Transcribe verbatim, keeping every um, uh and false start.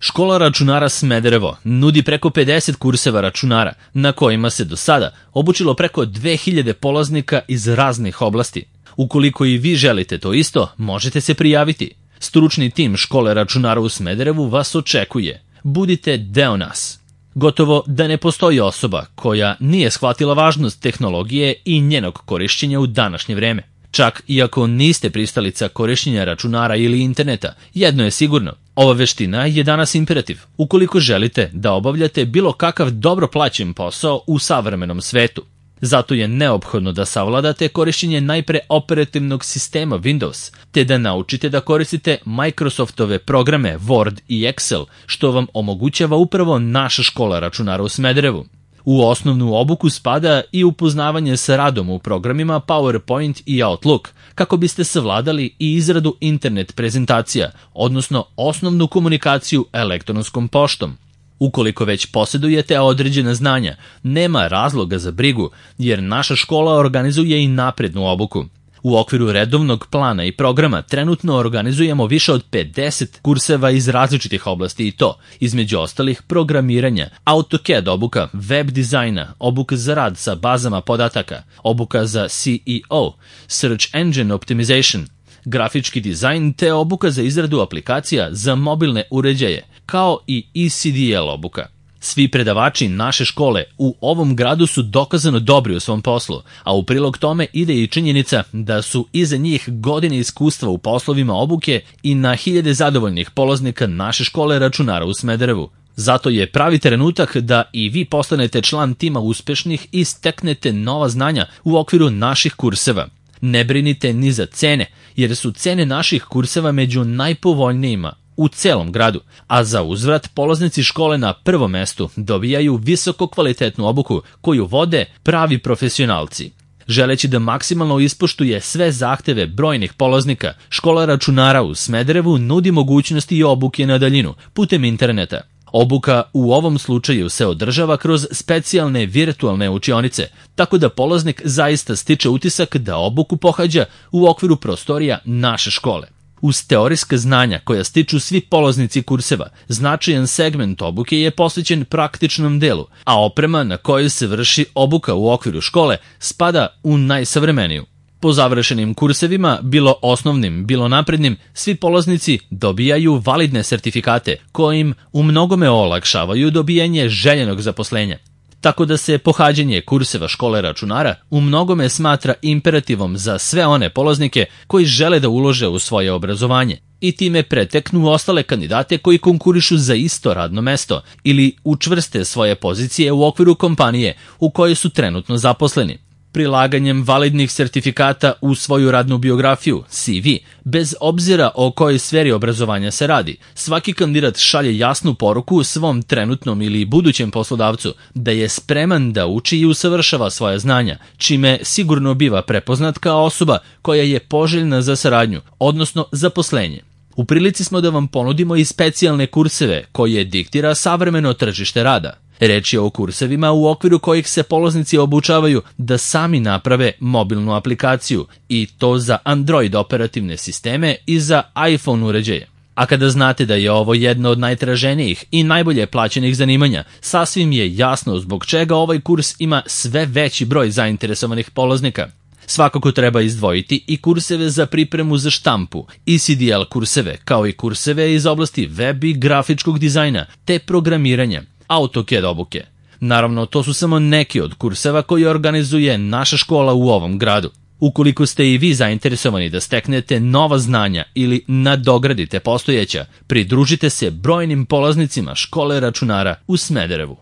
Škola računara Smederevo nudi preko pedeset kurseva računara na kojima se do sada obučilo preko dve hiljade polaznika iz raznih oblasti. Ukoliko i vi želite to isto, možete se prijaviti. Stručni tim Škole računara u Smederevu vas očekuje. Budite deo nas. Gotovo da ne postoji osoba koja nije shvatila važnost tehnologije i njenog korišćenja u današnje vreme. Čak i ako niste pristalica korišćenja računara ili interneta, jedno je sigurno, ova veština je danas imperativ ukoliko želite da obavljate bilo kakav dobro plaćen posao u savremenom svetu. Zato je neophodno da savladate korišćenje najpre operativnog sistema Windows, te da naučite da koristite Microsoftove programe Word i Excel, što vam omogućava upravo naša škola računara u Smederevu. U osnovnu obuku spada i upoznavanje sa radom u programima PowerPoint i Outlook, kako biste savladali i izradu internet prezentacija, odnosno osnovnu komunikaciju elektronskom poštom. Ukoliko već posjedujete određena znanja, nema razloga za brigu, jer naša škola organizuje i naprednu obuku. U okviru redovnog plana i programa trenutno organizujemo više od pedeset kurseva iz različitih oblasti i to, između ostalih, programiranja, AutoCAD obuka, web dizajna, obuka za rad sa bazama podataka, obuka za C E O, Search Engine Optimization, grafički dizajn te obuka za izradu aplikacija za mobilne uređaje, kao i E C D L obuka. Svi predavači naše škole u ovom gradu su dokazano dobri u svom poslu, a u prilog tome ide i činjenica da su iza njih godine iskustva u poslovima obuke i na hiljade zadovoljnih polaznika naše škole računara u Smederevu. Zato je pravi trenutak da i vi postanete član tima uspešnih i steknete nova znanja u okviru naših kurseva. Ne brinite ni za cene, jer su cene naših kurseva među najpovoljnijima u celom gradu, a za uzvrat polaznici škole na prvom mestu dobijaju visoko kvalitetnu obuku koju vode pravi profesionalci. Želeći da maksimalno ispoštuje sve zahteve brojnih polaznika, Škola računara u Smederevu nudi mogućnosti i obuke na daljinu putem interneta. Obuka u ovom slučaju se održava kroz specijalne virtualne učionice, tako da polaznik zaista stiče utisak da obuku pohađa u okviru prostorija naše škole. Uz teorijska znanja koja stiču svi polaznici kurseva, značajan segment obuke je posvećen praktičnom delu, a oprema na kojoj se vrši obuka u okviru škole spada u najsavremeniju. Po završenim kursevima, bilo osnovnim, bilo naprednim, svi polaznici dobijaju validne sertifikate kojim u mnogome olakšavaju dobijanje željenog zaposlenja. Tako da se pohađanje kurseva Škole računara u mnogome smatra imperativom za sve one polaznike koji žele da ulože u svoje obrazovanje i time preteknu ostale kandidate koji konkurišu za isto radno mesto ili učvrste svoje pozicije u okviru kompanije u kojoj su trenutno zaposleni. Prilaganjem validnih sertifikata u svoju radnu biografiju, C V, bez obzira o kojoj sferi obrazovanja se radi, svaki kandidat šalje jasnu poruku svom trenutnom ili budućem poslodavcu da je spreman da uči i usavršava svoja znanja, čime sigurno biva prepoznat kao osoba koja je poželjna za saradnju, odnosno zaposlenje. U prilici smo da vam ponudimo i specijalne kurseve koje diktira savremeno tržište rada. Reč je o kursevima u okviru kojih se polaznici obučavaju da sami naprave mobilnu aplikaciju i to za Android operativne sisteme i za iPhone uređaje. A kada znate da je ovo jedno od najtraženijih i najbolje plaćenih zanimanja, sasvim je jasno zbog čega ovaj kurs ima sve veći broj zainteresovanih polaznika. Svakako treba izdvojiti i kurseve za pripremu za štampu, E C D L kurseve, kao i kurseve iz oblasti web i grafičkog dizajna, te programiranja, AutoCAD obuke. Naravno, to su samo neki od kurseva koje organizuje naša škola u ovom gradu. Ukoliko ste i vi zainteresovani da steknete nova znanja ili nadogradite postojeća, pridružite se brojnim polaznicima Škole računara u Smederevu.